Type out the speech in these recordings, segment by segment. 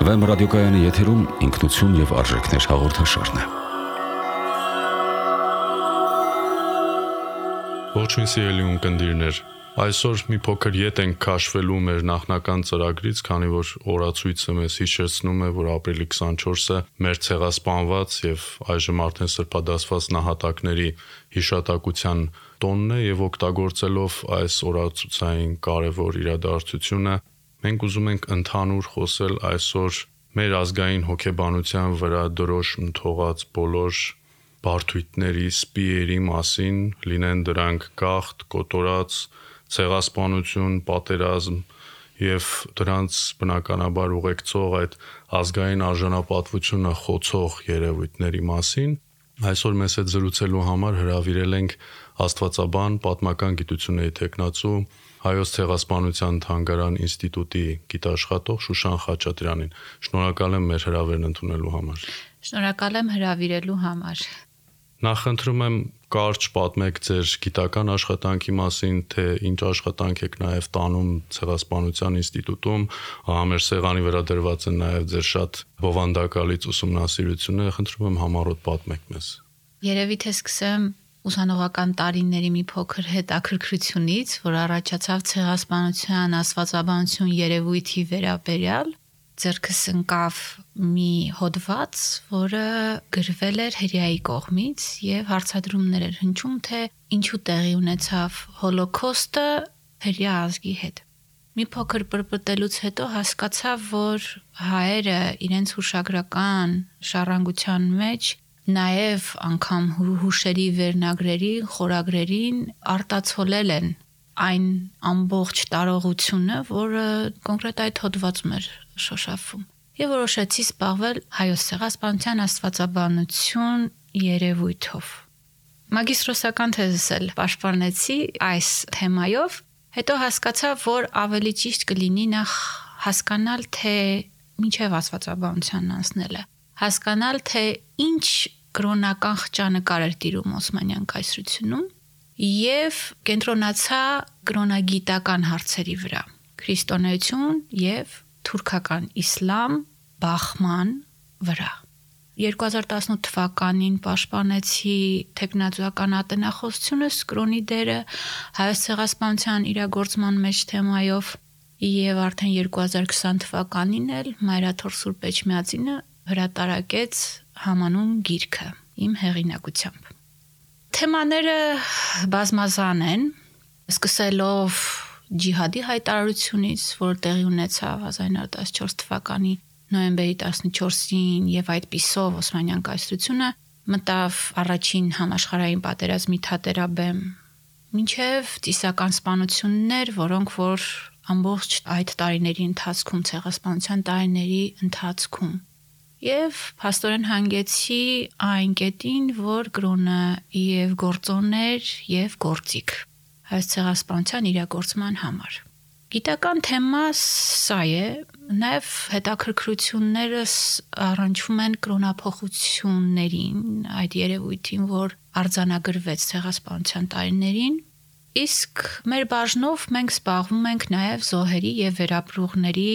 Վեմ ռադիոկայանի եթերում ինքնություն եւ արժեքներ հաղորդաշարն է։ Ողջույն սիրելի ունկնդիրներ, այսօր մի փոքր ետ ենք քաշվելու մեր նախնական ծրագրից, քանի որ օրացույցը մեզ հիշեցնում է, որ ապրիլի 24-ը մեր ցեղասպանված եւ այժմ արդեն սրբադասված նահատակների հիշատակության տոնն է եւ օգտագործելով այս օրացուցային կարևոր իրադարձությունը մենք ուզում ենք ընդհանուր խոսել այսօր մեր ազգային հոգեբանության վրա դրոշ թողած բոլոր բարդույթների, սպիերի մասին, լինեն դրանք գաղթ, կոտորած, ցեղասպանություն, պատերազմ եւ դրանց բնականաբար ուղեկցող այդ ազգային արժանապատվությունը խոցող երևույթների մասին։ Այսօր մեզ հետ զրուցելու համար հրավիրել ենք աստվածաբան, պատմական գիտությունների թեկնածու Հայոց ցեղասպանության թանգարան ինստիտուտի գիտաշխատող Շուշան Խաչատրյանին։ Շնորհակալ եմ մեր հրավերն ընդունելու համար։ Շնորհակալ եմ հրավիրելու համար։ Նախընտրում եմ կարճ պատմեք ձեր գիտական աշխատանքի մասին, թե ինչ աշխատանք եք նաև տանում ցեղասպանության ինստիտուտում, մեր սեղանի վրա դրված են նաև ձեր շատ բովանդակալից ուսումնասիրությունները, խնդրում եմ համառոտ պատմեք մեզ։ Երևի թե սկսեմ ուսանողական տարիների մի փոքր հետաքրքրությունից, որ առաջացավ ցեղասպանության աստվածաբանություն երևույթի վերաբերյալ, ձեռքս ընկավ մի հոդված, որը գրվել էր հրեայի կողմից եւ հարցադրումներ էր հնչում, թե ինչու տեղի ունեցավ հոլոկոստը հրեա ազգի հետ։ Մի փոքր պրպտելուց հետո հասկացա, որ հայերը իրենց հուշագրական շարժանգության մեջ նաև անգամ հուշերի վերնագրերի, խորագրերին արտացոլել են այն ամբողջ տարողությունը, որը կոնկրետ այդ հոդվածում էր շոշափվում։ Եվ որոշեցի զբաղվել հայոց ցեղասպանության աստվածաբանություն երևույթով։ Մագիստրոսական թեզս էլ պաշտպանեցի այս թեմայով, հետո հասկացա, որ ավելի ճիշտ կլինի նախ հասկանալ, թե ինչև աստվածաբանությանն անցնելը, հասկանալ, թե ինչ կրոնական խճանկար էր տիրում Օսմանյան կայսրությունում եւ կենտրոնացա կրոնագիտական հարցերի վրա՝ քրիստոնեություն եւ թուրքական իսլամ բախման վրա։ 2018 թվականին պաշտպանեցի թեկնածուական ատենախոսությունս կրոնի դերը հայոց ցեղասպանության իրագործման մեջ թեմայով եւ արդեն 2020 թվականին էլ Մայրաթոր Սուրբ Էջմիածինը հրատարակեց համանուն գիրքը իմ հեղինակությամբ։ Թեմաները բազմազան են, սկսելով ջիհադի հայտարարությունից, որ տեղի ունեցավ 1914 թվականի նոյեմբերի 14-ին եւ այդպիսով Օսմանյան կայսրությունը մտավ առաջին համաշխարհային պատերազմի թատերաբեմ, մինչև ծիսական սպանություններ, որոնք որ ամբողջ այդ տարիների ընթացքում ցեղասպանության տարիների ընթացքում եւ փաստորեն հանգեցի այն կետին, որ կրոնը եւ գործոններ եւ գործիք հայոց ցեղասպանության իրագործման համար։ Գիտական թեմա սա է, նաեւ հետաքրքրություններս առնչվում են կրոնափոխություններին, այդ երևույթին, որ արձանագրվեց ցեղասպանության տարիներին, իսկ մեր բաժնով մենք զբաղվում ենք նաեւ զոհերի եւ վերապրողների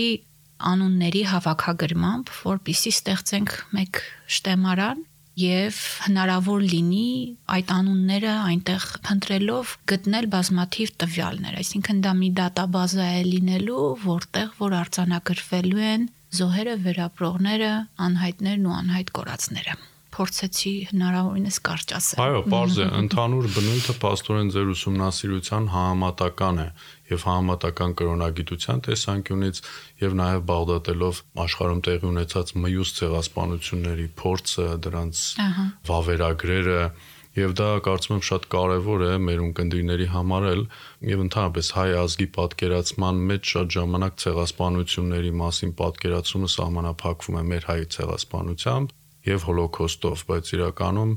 անունների հավաքագրմամբ, որպեսզի ստեղծենք մեկ շտեմարան եւ հնարավոր լինի այդ անունները այնտեղ փնտրելով գտնել բազմաթիվ տվյալներ, այսինքն դա մի դատաբազա է լինելու, որտեղ որ արձանագրվելու են զոհերը, վերապրողները, անհայտներն ու անհայտ կորածները։ Փորձեցի հնարավորինս կարճ ասել։ Այո, պարզ է, ընդհանուր բնույթը փաստորեն ձեր ուսումնասիրության համեմատական է եւ համեմատական կրոնագիտության տեսանկյունից եւ նաեւ բաղդատելով աշխարհում տեղի ունեցած մյուս ցեղասպանությունների փորձը, դրանց վավերագրերը եւ դա կարծում եմ շատ կարեւոր է մեր ունկնդիրների համար էլ եւ ընդհանրապես հայ ազգի պատկերացման մեջ շատ ժամանակ ցեղասպանությունների մասին պատկերացումը սահմանափակվում է մեր հայ ցեղասպանությամբ եւ հոլոկոստով, բայց իրականում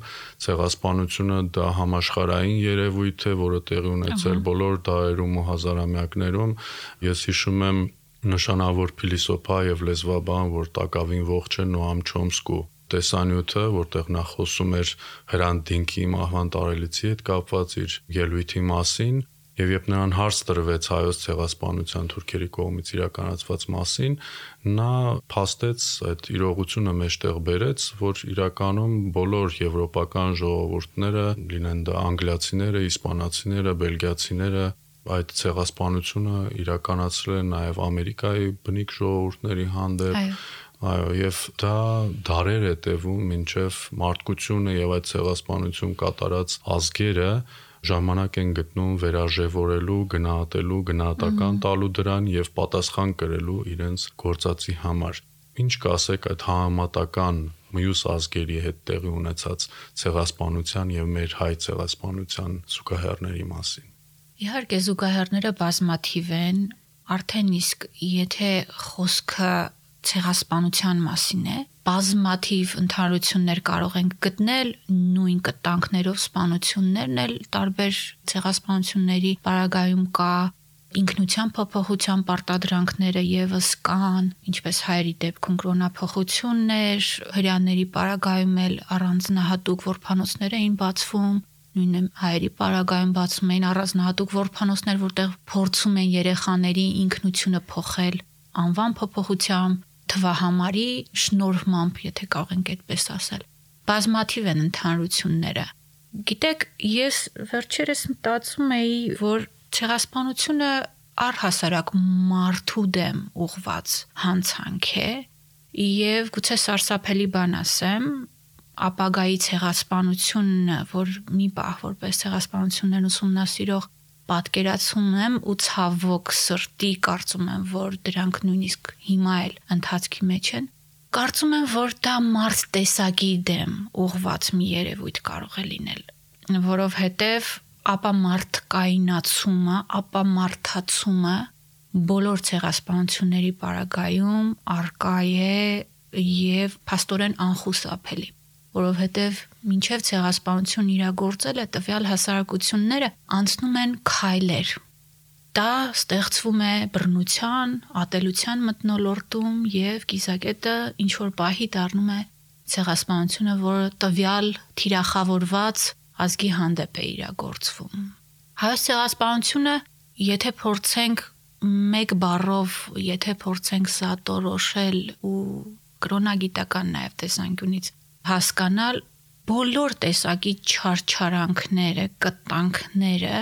ցեղասպանությունը դա համաշխարհային երևույթ է, որը տեղի ունեցել բոլոր դարերում ու հազարամյակներում։ Ես հիշում եմ նշանավոր փիլիսոփա եւ լեզվաբան, որ Տակավին ողջ է Նոամ Չոմսկու տեսանյութը, որտեղ նա խոսում էր Հրանտ Դինքի մահվան տարելիցի հետ կապված իր ելույթի մասին, Եվ երբ նրան հարց տրվեց հայոց ցեղասպանության թուրքերի կողմից իրականացված մասին, նա փաստեց այդ իրողությունը մեջտեղ բերեց, որ իրականում բոլոր եվրոպական ժողովուրդները, լինեն դա անգլիացիները, իսպանացիները, բելգիացիները, այդ ցեղասպանությունը իրականացրել են նաև Ամերիկայի բնիկ ժողովուրդների հանդեպ։ Այո, եւ դա դարեր է տևում, մինչեւ մարդկությունը եւ այդ ցեղասպանություն կատարած ազգերը ժամանակ են գտնում վերարժևորելու, գնահատելու, գնահատական տալու դրան եւ պատասխան կրելու իրենց գործածի համար։ Ինչ կասեք այդ համատական մյուս ազգերի հետ տեղի ունեցած ցեղասպանության եւ մեր հայ ցեղասպանության զուգահեռների մասին։ Իհարկե զուգահեռները բազմաթիվ են, արդեն իսկ եթե խոսքը ցեղասպանության մասին է, բազմաթիվ ընդհանրություններ կարող ենք գտնել, նույն կտանքներով սպանություններն էլ տարբեր ցեղասպանությունների պարագայում կա, ինքնության փոփոխության պարտադրանքները եւս կան, ինչպես հայերի դեպքում կրոնափոխություններ, հрьяաների պարագայում էլ առանձնահատուկ որբանոցներ էին բացվում, նույնը հայերի պարագայում բացում էին առանձնահատուկ որբանոցներ, որտեղ փորձում են երեխաների ինքնությունը փոխել անվան փոփոխությամբ, թվահամարի շնորհմամբ, եթե կարող ենք այդպես ասել։ Բազմաթիվ են ընդհանրությունները։ Գիտեք, ես վերջերս մտածում էի, որ ցեղասպանությունը առհասարակ մարդու դեմ ուղված հանցանք է, եւ գուցե սարսափելի բան ասեմ, ապագայի ցեղասպանությունը, որ մի պահ որպես ցեղասպանություններն ուսումնասիրող պատկերացում եմ ու ցավոք սրտի կարծում եմ, որ դրանք նույնիսկ հիմա էլ ընթացքի մեջ են, կարծում եմ, որ դա մարդ տեսակի դեմ ուղված մի երևույթ կարող է լինել, որովհետև ապա մարդկայնացումը, ապա մարդացումը բոլոր ցեղասպանությունների պարագայում արկա է եւ փաստորեն անխուսափելի, որովհետև մինչև ցեղասպանություն իրագործելը տվյալ հասարակությունները անցնում են քայլեր։ Դա ստեղծվում է բռնության, ատելության մթնոլորտում եւ կիզակետը ինչ որ պահի դառնում է ցեղասպանությունը, որը տվյալ թիրախավորված ազգի հանդեպ է իրագործվում։ Հայոց ցեղասպանությունը, եթե փորձենք մեկ բառով, եթե փորձենք սատորոշել ու կրոնագիտական նաեւ տեսանկյունից հասկանալ, բոլոր տեսակի չարչարանքները, կտանքները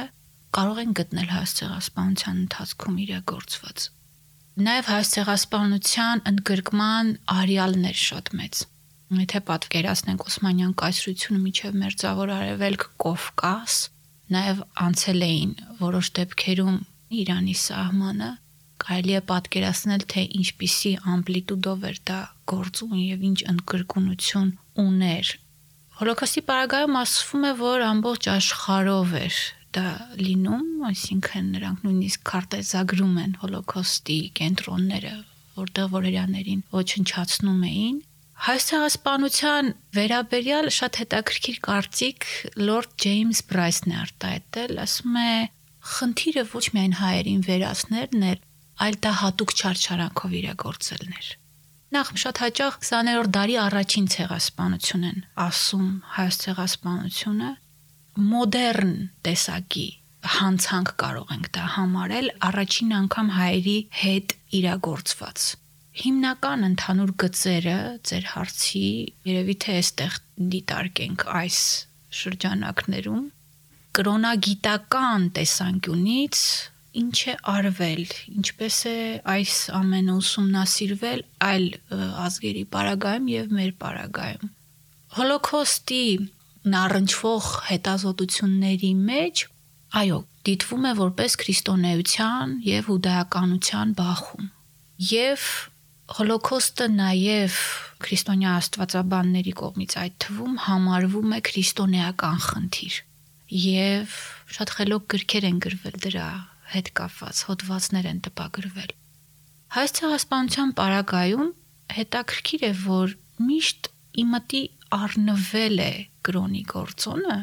կարող են գտնել հայոց ցեղասպանության ընթացքում իրագործված։ Նաև հայոց ցեղասպանության ընդգրկման արյալներ շատ մեծ։ Եթե պատկերացնենք Օսմանյան կայսրությունը միջև Մերձավոր Արևելք, Կովկաս, նաև անցել էին որոշ դեպքերում Իրանի սահմանը, կարելի է պատկերացնել, թե ինչպիսի ամպլիտուդով էր դա գործում եւ ինչ ընդգրկունություն ուներ։ Հոլոկոստի պարագայում ասվում է, որ ամբողջ աշխարհով էր դա լինում, այսինքն նրանք նույնիսկ քարտեզագրում են հոլոկոստի կենտրոնները, որտեղ որերաներին ոչնչացնում էին։ Հայոց ցեղասպանության վերաբերյալ շատ հետաքրքիր կարծիք Լորդ Ջեյմս Բրայսն է արտահայտել, ասում է, խնդիրը ոչ միայն հայերին վերացնելն էր, այլ դա հատուկ չարչարանքով իրագործելն էր։ Նախ շատ հաճախ 20-րդ դարի առաջին ցեղասպանություն են ասում հայոց ցեղասպանությունը, մոդեռն տեսակի հանցանք կարող ենք դա համարել առաջին անգամ հայերի հետ իրագործված։ Հիմնական ընդհանուր գծերը ձեր հարցի երևի թե այստեղ դիտարկենք այս շրջանակներում կրոնագիտական տեսանկյունից ինչ է արվել, ինչպես է այս ամենը ուսումնասիրվել այլ ազգերի պարագայում եւ մեր պարագայում։ Հոլոկոստի առնչվող հետազոտությունների մեջ, այո, դիտվում է որպես քրիստոնեության եւ հուդայականության բախում։ Եվ Հոլոկոստը նաև քրիստոնյա աստվածաբանների կողմից այդ թվում համարվում է քրիստոնեական խնդիր եւ շատ խելոք գրքեր են գրվել դրա հետ կապված, հոդվածներ են տպագրվել։ Հայոց ցեղասպանության պարագայում հետաքրքիր է, որ միշտ իմտի առնվել է կրոնի գործոնը,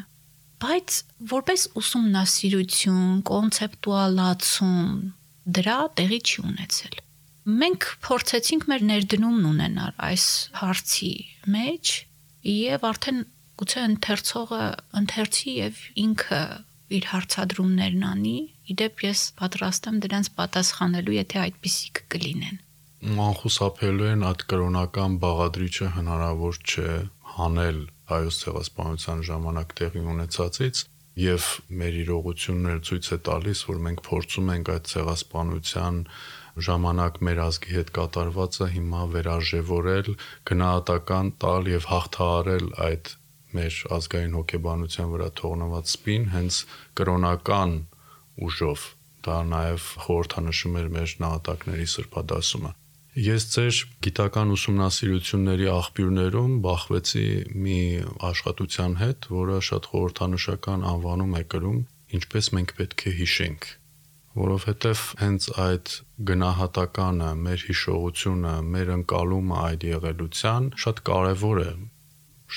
բայց որպես ուսումնասիրություն, կոնցեպտուալացում դրա տեղի չի ունեցել։ Մենք փորձեցինք մեր ներդրումն ունենալ այս հարցի մեջ եւ արդեն գուցե ընթերցողը ընթերցի եւ ինքը իր հարցադրումներն անի Իդեպ ես պատրաստ եմ դրանց պատասխանելու, եթե այդպիսիք կլինեն։ Անխուսափելիորեն այդ կրոնական բաղադրիչը հնարավոր չէ հանել հայոց ցեղասպանության ժամանակ տեղի ունեցածից, եւ մեր իրողությունները ցույց է տալիս, որ մենք փորձում ենք այդ ցեղասպանության ժամանակ մեր ազգի հետ կատարվածը հիմա վերարժևորել, գնահատական տալ եւ հաղթահարել այդ մեր ազգային հոգեբանության վրա թողնված սպին հենց կրոնական ուժով։ Դա նաեւ խորհրդանշում էր մեր նահատակների սրբադասումը։ Ես ձեր գիտական ուսումնասիրությունների աղբյուրներում բախվեցի մի աշխատության հետ, որը շատ խորհրդանշական անվանում է կրում «Ինչպես մենք պետք է հիշենք», որովհետև հենց այդ գնահատականը, մեր հիշողությունը, մեր ընկալումը այդ եղելության շատ կարևոր է։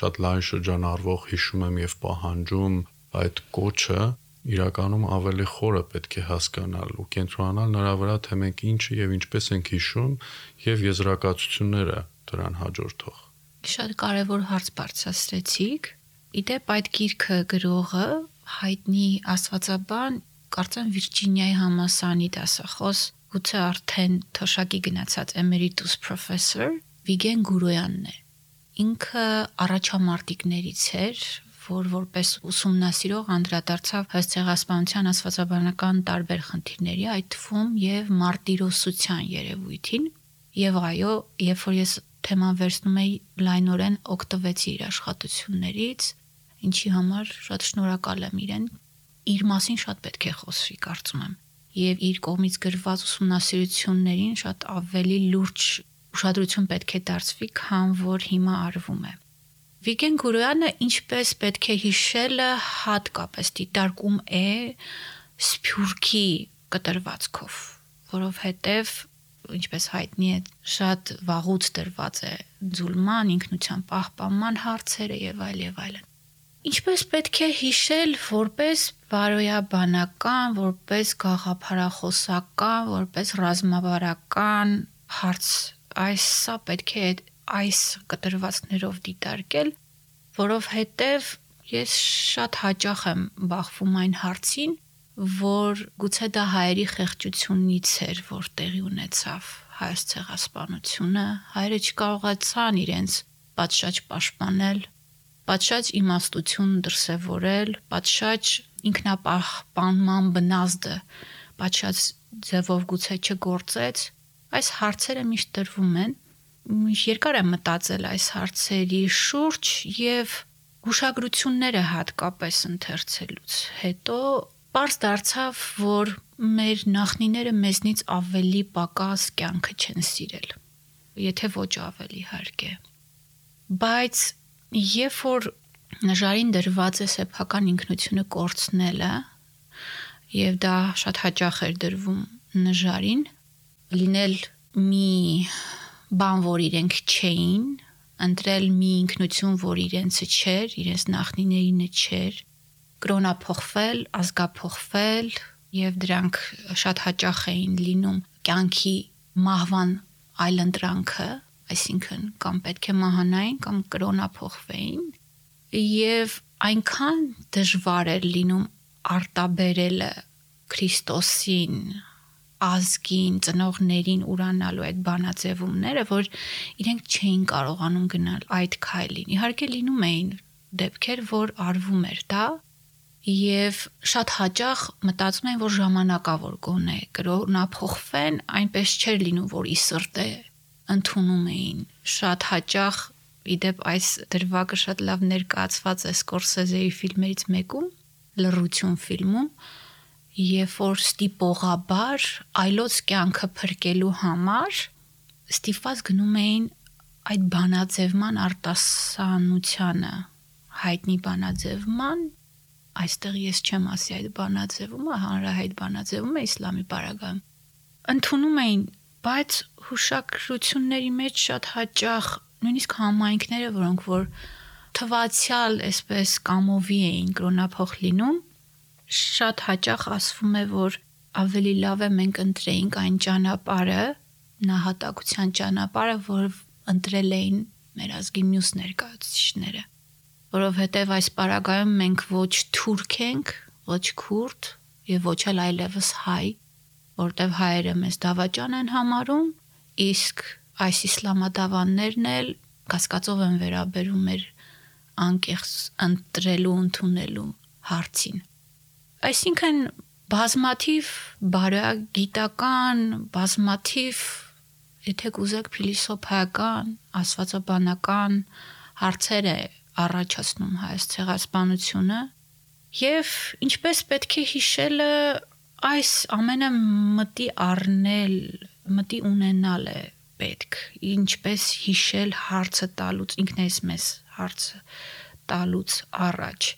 Շատ լայն շրջանառվող հիշում եմ եւ պահանջում այդ կոչը իրականում ավելի խորը պետք է հասկանալ ու կենտրոնանալ նրա վրա, թե մենք ինչը եւ ինչպես ենք հիշում եւ եզրակացությունները դրան հաջորդող։ Շատ կարևոր հարց բարձրացրեցիք։ Իդեպ այդ գիրքը գրողը հայտնի աստվածաբան, կարծեմ Վիրջինիայի համալսարանի դասախոս, գուցե արդեն թոշակի գնացած էմերիտուս պրոֆեսոր Վիգեն Գուրոյանն է։ Ինքը առաջամարտիկներից էր, որ որպես ուսումնասիրող անդրադարձավ հայոց ցեղասպանության աստվածաբանական տարբեր խնդիրների, այդ թվում եւ մարտիրոսության երևույթին, եւ այո, երբ որ ես թեման վերցնում էի, լայնորեն օգտվեցի իր աշխատություններից, ինչի համար շատ շնորհակալ եմ իրեն։ Իր մասին շատ պետք է խոսվի, կարծում եմ, եւ իր կողմից գրված ուսումնասիրություններին շատ ավելի լուրջ ուշադրություն պետք է դարձվի, քան որ հիմա արվում է։ Վիգեն Գուրոյանը ինչպես պետք է հիշելը հատկապես դիտարկում է Սփյուռքի կտրվածքով, որովհետև ինչպես հայտնի է, շատ վաղուց դրված է ձուլման, ինքնության պահպանման հարցերը եւ այլն։ Ինչպես պետք է հիշել որպես բարոյաբանական, որպես գաղափարախոսական, որպես ռազմավարական հարց, սա պետք է այս կտրվածքներով դիտարկել, որովհետև ես շատ հաճախ եմ բախվում այն հարցին, որ գուցե դա հայերի խեղճությունից էր, որ տեղի ունեցավ հայոց ցեղասպանությունը, հայերը չկարողացան իրենց պատշաճ պաշտպանել, պատշաճ իմաստություն դրսևորել, պատշաճ ինքնապահպանման բնազդը պատշաճ ձևով գուցե չգործեց։ Այս հարցերը միշտ տրվում են։ Երկար եմ մտածել այս հարցերի շուրջ եւ հուշագրությունները հատկապես ընթերցելուց հետո պարզ դարձավ, որ մեր նախնիները մեզնից ավելի պակաս կյանքը չեն սիրել, եթե ոչ ավելի իհարկե։ Բայց երբ որ նժարին դրված է սեփական ինքնությունը կորցնելը, եւ դա շատ հաճախ էր դրվում նժարին, լինել մի բան, որ իրենք չէին, ընտրել մի ինքնություն, որ իրենցը չէր, իրենց նախնիներինը չէր, կրոնափոխվել, ազգափոխվել, եւ դրանք շատ հաճախ էին լինում կյանքի մահվան այլընտրանքը, այսինքն կամ պետք է մահանային, կամ կրոնափոխվեին, եւ այնքան դժվար էր լինում արտաբերելը Քրիստոսին, ազգին, ծնողներին ուրանալու այդ բանաձևումները, որ իրենք չէին կարողանում գնալ այդ քայլին։ Իհարկե լինում էին դեպքեր, որ արվում էր դա, եւ շատ հաճախ մտածում էին, որ ժամանակավոր գոնե կրոնափոխվեն, այնպես չէր լինում, որ ի սրտե ընդունում էին։ Շատ հաճախ իդեպ այս դրվագը շատ լավ ներկայացված է Սկորսեզեի ֆիլմերից մեկում, Լռություն ֆիլմում, երբ որ ստիպողաբար այլոց կյանքը փրկելու համար ստիպված գնում էին այդ բանաձևման արտասանությանը, հայտնի բանաձևման, այստեղ ես չեմ ասի այդ բանաձևումը, հանրահայտ բանաձևումը իսլամի պարագայում, ընդունում էին, բայց հուշագրությունների մեջ շատ հաճախ նույնիսկ համայնքները, որոնք որ թվացial այսպես կամովի էին կրոնափոխ լինում, շատ հաճախ ասվում է, որ ավելի լավ է մենք ընտրեինք այն ճանապարհը, նահատակության ճանապարհը, որ ընտրել էին մեր ազգի մյուս ներկայացուցիչները, որովհետև այս պարագայում մենք ոչ թուրք ենք, ոչ քուրդ, եւ ոչ էլ այլևս հայ, որտեվ հայերը մեզ դավաճան են համարում, իսկ այս իսլամադավաններն էլ կասկածով են վերաբերում մեր անկեղծ ընտրելու ընդունելու հարցին։ Այսինքն բազմաթիվ բարոյագիտական, բազմաթիվ, եթե կուզեք փիլիսոփայական, աստվածաբանական հարցեր է առաջացնում հայոց ցեղասպանությունը եւ ինչպես պետք է հիշելը այս ամենը մտի առնել, մտի ունենալ է պետք, ինչպես հիշել հարցը տալուց, ինքն էս մեզ հարցը տալուց առաջ։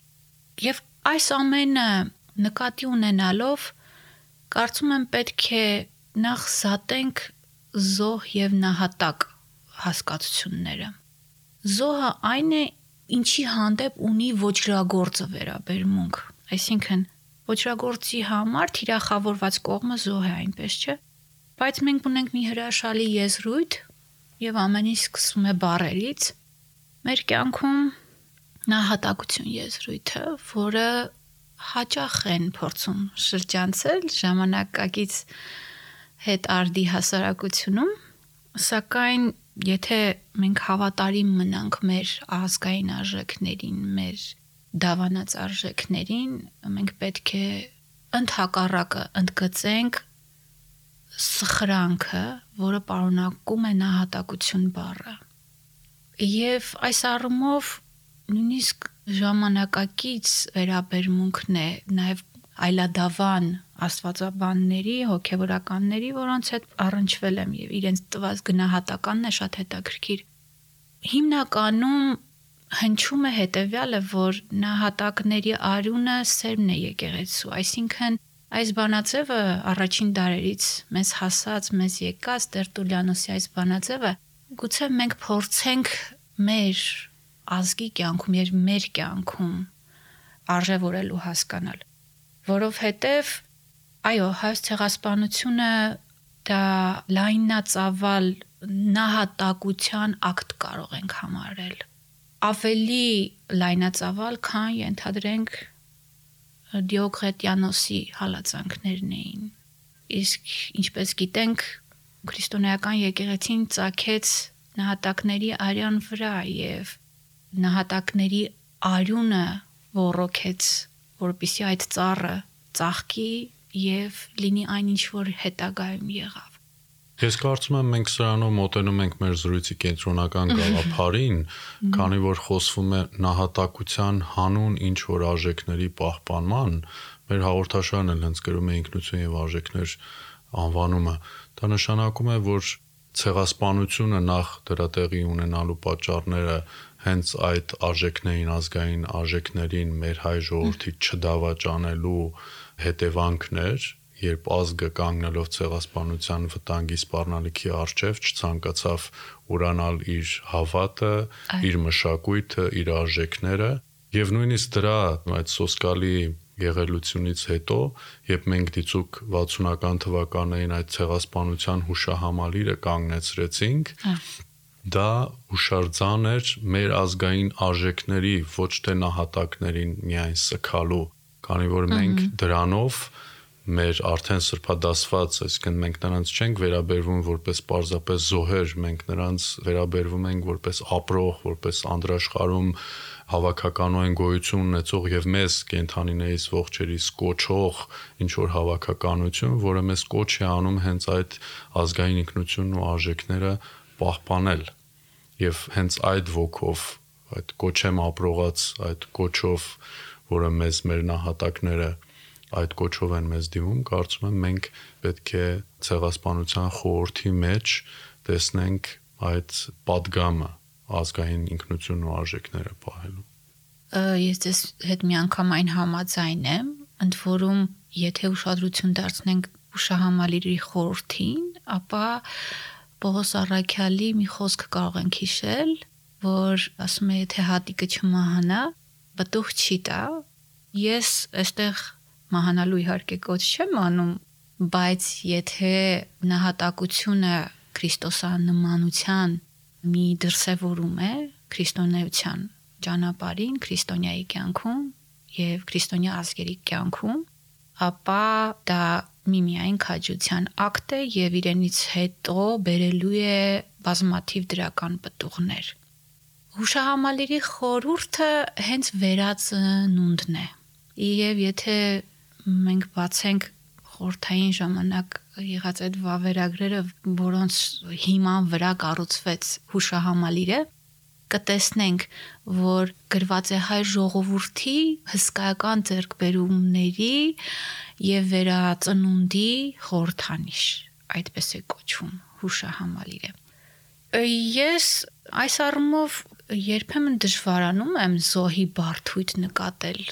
Եվ այս ամենը նկատի ունենալով կարծում եմ պետք է նախ զատենք զոհ եւ նահատակ հասկացությունները։ Զոհը այն է, ինչի հանդեպ ունի ոճրագործը վերաբերմունք, այսինքն ոճրագործի համար թիրախավորված կողմը զոհ է, այնպես չէ, բայց մենք ունենք մի հրաշալի եզրույթ եւ ամեն ինչ սկսվում է բառերից։ Մեր կյանքում նահատակություն եզրույթը, որը հաճախ են փորձում շրջանցել ժամանակակից հետ արդի հասարակությունում, սակայն եթե մենք հավատարիմ մնանք մեր ազգային արժեքներին, մեր դավանած արժեքներին, մենք պետք է ընդհակառակը ընդգծենք սխրանքը, որը պարունակում է նահատակություն բառը։ Եվ այս առումով նույնիսկ ժամանակակից վերաբերմունքն է նաև այլադավան աստվածաբանների, հոգևորականների, որոնց հետ առնչվել եմ եւ իրենց տված գնահատականն է շատ հետաքրքիր։ Հիմնականում հնչում է հետեւյալը, որ նահատակների արյունը սերմն է եկեղեցու, այսինքն այս բանաձևը առաջին դարերից մեզ հասած, մեզ եկած Տերտուլիանոսի այս բանաձևը գուցե մենք փորձենք մեր ազգի կյանքում եւ մեր կյանքում արժևորել ու հասկանալ, որովհետև այո, հայոց ցեղասպանությունը դա լայնածավալ նահատակության ակտ կարող ենք համարել։ Ավելի լայնածավալ, քան ենթադրենք Դիոկլետիանոսի հալածանքներն էին։ Իսկ ինչպես գիտենք, քրիստոնեական եկեղեցին ծագեց նահատակների արյան վրա եւ նահատակների արյունը ոռոգեց, որպեսզի այդ ծառը ծաղկի եւ լինի այն, ինչ որ հետագայում եղավ։ Ես կարծում եմ մենք սրանով մոտենում ենք մեր զրույցի կենտրոնական գաղափարին, քանի որ խոսվում է նահատակության հանուն ինչ որ արժեքների պահպանման, մեր հաղորդաշարն էլ հենց գրում է ինքնություն եւ արժեքներ անվանումը։ Դա նշանակում է, որ ցեղասպանությունը նախ դրա տեղի ունենալու պատճառները հենց այդ արժեքներին, ազգային արժեքներին մեր հայ ժողովրդի չդավաճանելու հետևանքներ, երբ ազգը կանգնելով ցեղասպանության վտանգի սպառնալիքի առջև չցանկացավ ուրանալ իր հավատը, իր մշակույթը, իր արժեքները, եւ նույնիսկ դրա այդ սոսկալի եղելությունից հետո, երբ մենք դիցուկ 60-ական թվականներին այդ ցեղասպանության հուշահամալիրը կանգնեցրեցինք, դա հուշարձան էր մեր ազգային արժեքների, ոչ թե նահատակներին միայն սքալու, քանի որ մենք դրանով մեր արդեն սրբադասված, այսինքն մենք նրանց չենք վերաբերվում որպես պարզապես զոհեր, մենք նրանց վերաբերվում ենք որպես ապրող, որպես անդրաշխարհում հավաքականորեն գոյություն ունեցող եւ մեզ կենթանիներից ողջերից կոչող ինչ որ հավաքականություն, որը մեզ կոչ է անում հենց այդ ազգային ինքնությունն ու արժեքները պահպանել եւ հենց այդ ոգով, այդ կոչեմ ապրողած այդ կոչով, որը մեզ մեր նահատակները այդ կոչով են մեզ դիմում, կարծում եմ մենք պետք է ցեղասպանության խորհրդի մեջ տեսնենք այդ падգամը ազգային ինքնությունն ու արժեքները պահելու։ Ես ձեզ հետ միանգամայն համաձայն եմ, ընդ որում եթե ուշադրություն դարձնենք հուշահամալիրի խորհրդին, ապա Պողոս Առաքյալի մի խոսք կարող ենք հիշել, որ ասում է եթե հատիկը չմահանա, բտուղ չի տա։ Ես այստեղ մահանալու իհարկե կոչ չեմ անում, բայց եթե նահատակությունը քրիստոսանմանության մի դրսևորում է քրիստոնեության ճանապարհին, քրիստոնյայի կյանքում եւ քրիստոնյա ազգերի կյանքում, ապա դա միմիայն քաջության ակտ է եւ իրենից հետո բերելու է բազմաթիվ դրական պտուղներ։ Հուշահամալիրի խորհուրդը հենց վերածնունդն է։ Եվ եթե մենք բացենք խորհրդային ժամանակ եղած այդ վավերագրերը, որոնց հիման վրա կառուցվեց հուշահամալիրը, կտեսնենք, որ գրված է հայ ժողովրդի հսկայական ձեռքբերումների եւ վերածնունդի խորհրդանիշ, այդպես է կոչվում հուշահամալիրը։ Ես այս առումով երբեմն դժվարանում եմ զոհի բարդույթ նկատել։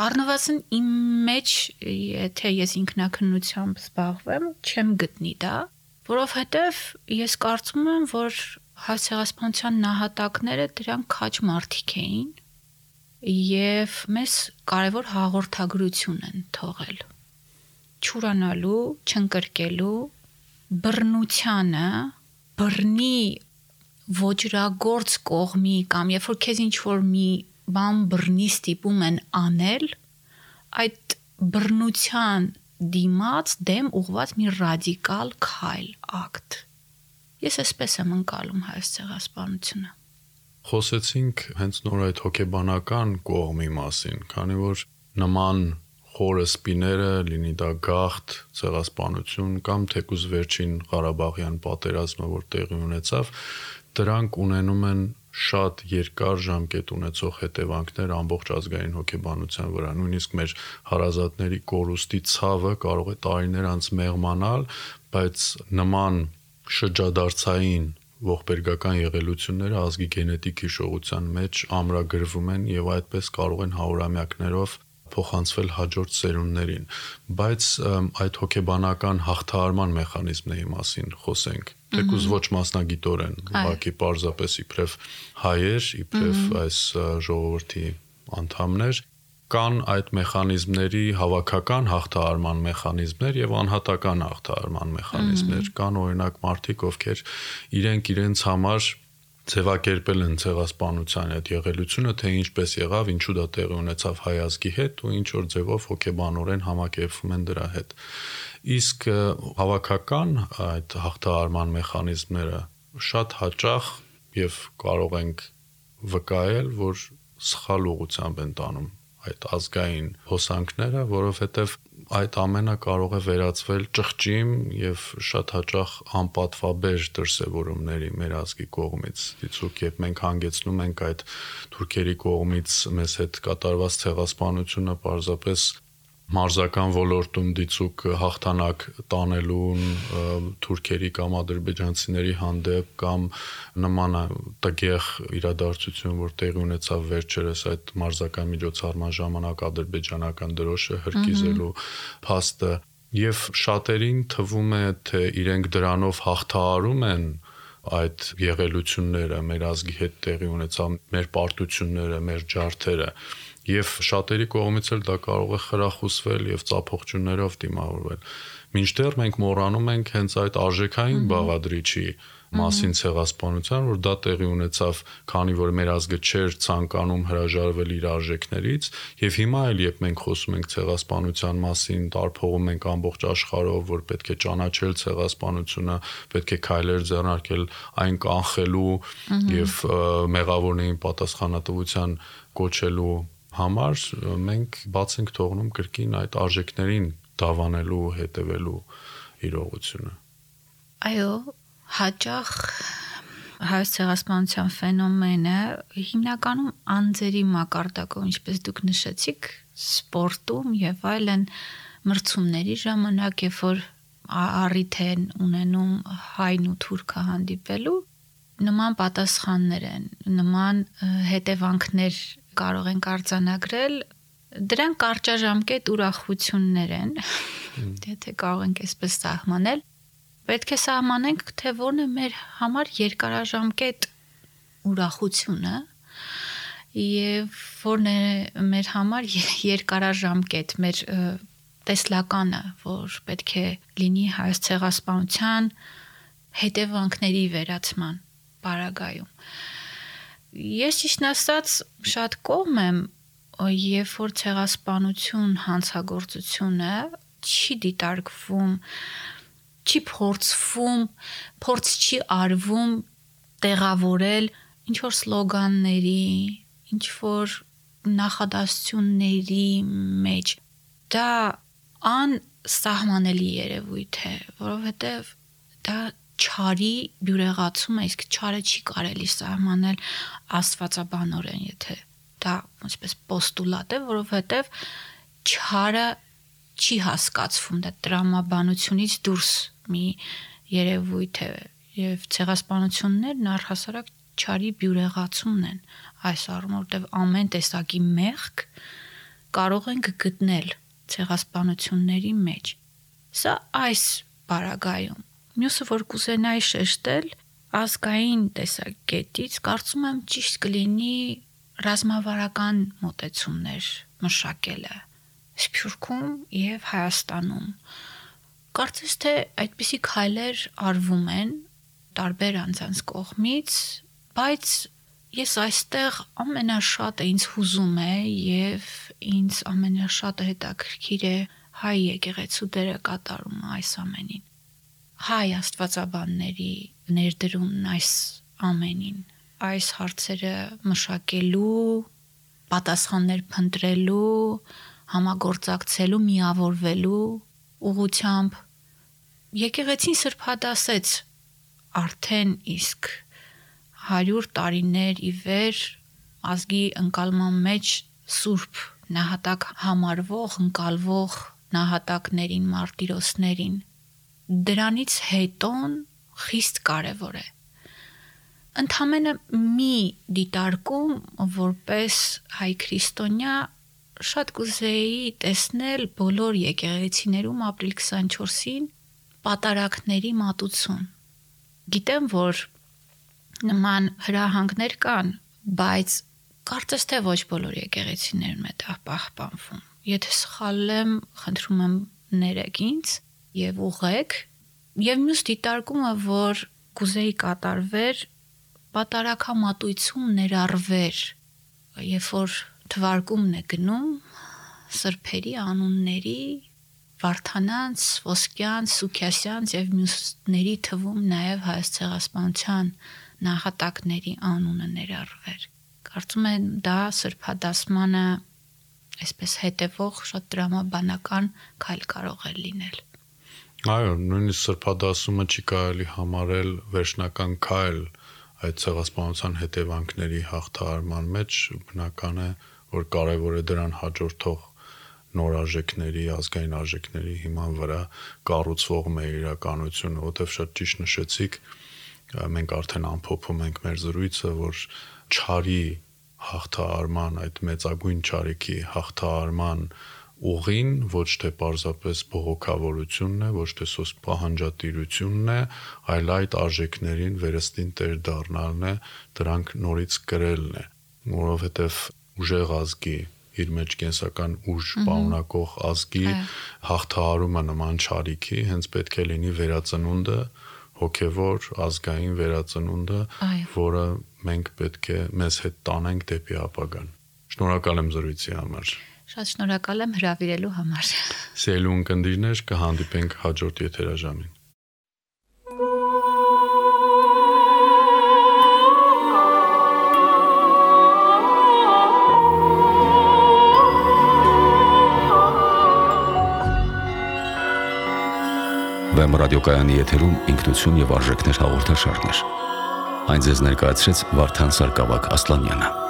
Առնվազն իմ մեջ, եթե ես ինքնակնությամբ զբաղվեմ, չեմ գտնի դա, որովհետև ես կարծում եմ, որ հայ ցեղասպանության նահատակները դրանք քաջ մարդիկ էին եւ մեզ կարևոր հաղորդագրություն են թողել։ Չուրանալու, չընկրկելու, բռնությանը, բռնի ոճրագործ կողմի կամ երբ որ քեզ ինչ-որ մի բան բռնի ստիպում են անել, այդ բռնության դիմաց դեմ ուղված մի ռադիկալ քայլ, ակտ։ Ես այսպես եմ ընկալում հայոց ցեղասպանությունը։ Խոսեցինք հենց նոր այդ հոգեբանական կողմի մասին, քանի որ նման խորը սպիները, լինի դա գաղթ, ցեղասպանություն կամ թեկուզ վերջին Ղարաբաղյան պատերազմը, որ տեղի ունեցավ, դրանք ունենում են շատ երկար ժամկետ ունեցող հետևանքներ ամբողջ ազգային հոգեբանության վրա, նույնիսկ մեր հարազատների կորուստի ցավը կարող է տարիներ անց մեղմանալ, բայց նման շրջադարձային ողբերգական եղելությունները ազգի գենետիկ հիշողության մեջ ամրագրվում են եւ այդպես կարող են հարյուրամյակներով փոխանցվել հաջորդ սերունդներին, բայց այդ հոգեբանական հաղթահարման մեխանիզմների մասին խոսենք, թեկուզ ոչ մասնագիտորեն, ուղղակի պարզապես իբրև հայեր, իբրև այս ժողովրդի անդամներ, կան այդ մեխանիզմների հավաքական հաղթահարման մեխանիզմներ եւ անհատական հաղթահարման մեխանիզմներ, կան օրինակ մարդիկ, ովքեր իրենց համար ձևակերպել են ցեղասպանության այդ եղելությունը, թե ինչպես եղավ, ինչու դա տեղի ունեցավ հայ ազգի հետ ու ինչ որ ձևով հոգեբանորեն համակերպվում են դրա հետ։ Իսկ հավաքական այդ հաղթահարման մեխանիզմները շատ հաճախ եւ կարող ենք վկայել, որ սխալ ուղղությամբ են տանում այդ ազգային հոսանքները, որովհետեւ այդ ամենը կարող է վերածվել ճղճիմ եւ շատ հաճախ անպատվաբեր դրսեւորումների մեր ազգի կողմից։ Դիցուք երբ մենք հանգեցնում ենք այդ թուրքերի կողմից մեզ հետ կատարված ցեղասպանությունը պարզապես մարզական ոլորտում դիցուք հաղթանակ տանելուն թուրքերի կամ ադրբեջանցիների հանդեպ կամ նման տգեղ իրադարձություն, որ տեղի ունեցավ վերջերս այդ մարզական միջոցառման ժամանակ ադրբեջանական դրոշը հրկիզելու փաստը եւ շատերին թվում է, թե իրենք դրանով հաղթահարում են այդ եղելությունները, մեր ազգի հետ տեղի ունեցավ, մեր պարտությունները, մեր ջարդերը եւ շատերի կողմից էլ դա կարող է խրախուսվել եւ ծափողջուններով դիմավորվել։ Մինչդեռ մենք մոռանում ենք հենց այդ արժեքային բաղադրիչի մասին ցեղասպանության, որ դա տեղի ունեցավ, քանի որ մեր ազգը չէր ցանկանում հրաժարվել իր արժեքներից, եւ հիմա էլ երբ մենք խոսում ենք ցեղասպանության մասին, տարփողում ենք ամբողջ աշխարհով, որ պետք է ճանաչել ցեղասպանությունը, պետք է քայլեր ձեռնարկել այն կանխելու եւ մեղավորներին պատասխանատվության կոչելու համար, մենք բաց ենք թողնում կրկին այդ արժեքներին դավանելու, հետևելու իրողությունը։ Այո, հաճախ հայոց ցեղասպանության ֆենոմենը հիմնականում անձերի մակարդակով, ինչպես դուք նշեցիք, սպորտում եւ այլն մրցումների ժամանակ, երբ որ առիթ են ունենում հայն ու թուրքը հանդիպելու, նման պատասխաններ են, նման հետևանքներ կարող ենք արձանագրել, դրանք կարճաժամկետ ուրախություններ են, եթե կարող ենք այսպես սահմանել, պետք է սահմանենք, թե որն է մեր համար երկարաժամկետ ուրախությունը եւ որն է մեր համար երկարաժամկետ մեր տեսլականը, որ պետք է լինի հայոց ցեղասպանության հետևանքների վերացման պարագայում։ Ես ճիշտն ասած շատ կողմ եմ երբ որ ցեղասպանություն հանցագործությունը չի դիտարկվում, չի փորձվում, փորձ չի արվում տեղավորել ինչ որ սլոգանների, ինչ որ նախադասությունների մեջ, դա անսահմանելի երևույթ է, որովհետև դա չարի բյուրեղացում է, իսկ չարը չի կարելի սահմանել աստվածաբանորեն, եթե դա ոնցպես պոստուլատ է, որովհետև չարը չի հասկացվում, դա տրամաբանությունից դուրս մի երևույթ է, եւ ցեղասպանություններն առհասարակ չարի բյուրեղացումն են այս առումով, որտեղ ամեն տեսակի մեղք կարող ենք գտնել ցեղասպանությունների մեջ։ Սա այս բaragայում։ Մյուսը, որ կուզենայի շեշտել, ազգային տեսակետից կարծում եմ ճիշտ կլինի ռազմավարական մոտեցումներ մշակելը Սփյուռքում եւ Հայաստանում։ Կարծես թե այդպիսի քայլեր արվում են տարբեր անձանց կողմից, բայց ես այստեղ ամենաշատը ինձ հուզում է եւ ինձ ամենաշատը հետաքրքիր է հայ եկեղեցու դերը կատարումը այս ամենին։ Հայ աստվածաբանների ներդրումն այս ամենին, այս հարցերը մշակելու, պատասխաններ փնտրելու, համագործակցելու, միավորվելու ուղղությամբ եկեղեցին սրբադասեց արդեն իսկ 100 տարիներ ի վեր ազգի ընկալման մեջ սուրբ նահատակ համարվող, ընկալվող նահատակներին, մարտիրոսներին։ Դրանից հետոն խիստ կարևոր է։ Ընդամենը մի դիտարկում, որպես հայ քրիստոնյա, շատ կուզեի տեսնել բոլոր եկեղեցիներում ապրիլ 24-ին պատարակների մատուցում։ Գիտեմ, որ նման հրահանգներ կան, բայց կարծես թե ոչ բոլոր եկեղեցիներում է դա պահպանվում։ Եթե սխալ եմ, խնդրում եմ ներեք ինձ եւ ուղղեք։ Եվ մյուս դիտարկումը, որ կուզեի կատարվեր, պատարակամատույցում ներառվեր, երբ որ թվարկումն է գնում սրբերի անունների, Վարդանանց, Ոսկյանց, Սուքիասյանց եւ մյուսների թվում նաեւ հայոց ցեղասպանության նահատակների անունը ներառվեր։ Կարծում եմ դա սրբադասմանը այսպես հետևող շատ դրամաբանական քայլ կարող է լինել։ Այո, նույնիսկ սրբադասումը չի կարելի համարել վերջնական քայլ այդ ցեղասպանության հետևանքների հաղթահարման մեջ, բնական է, որ կարևոր է դրան հաջորդող նոր արժեքների, ազգային արժեքների հիման վրա կառուցվող մեր իրականությունը, որտեղ շատ ճիշտ նշեցիք, մենք արդեն ամփոփում ենք մեր զրույցը, որ չարի հաղթահարման, այդ մեծագույն չարիքի հաղթահարման ուղին ոչ թե պարզապես բողոքավորությունն է, ոչ թե սոսկ պահանջատիրությունն է, այլ այդ արժեքներին վերստին տեր դառնալն է, դրանք նորից կրելն է, որովհետև ուժեղ ազգի, իր մեջ կենսական ուժ պարունակող ազգի հաղթահարումը նման չարիքի հենց պետք է լինի վերածնունդը, հոգևոր ազգային վերածնունդը, որը մենք պետք է մեզ հետ տանենք դեպի ապագան։ Շնորհակալ եմ զրույցի համար։ Շատ շնորհակալ եմ հրավիրելու համար։ Սիրելի ունկնդիրներ, կհանդիպենք հաջորդ եթերաժամին։ Վեմ ռադիոկայանի եթերում ինքնություն եւ արժեքներ հաղորդաշարներ։ Այն ձեզ ներկայացրեց Վարդան Սարգսակ Ասլանյանը։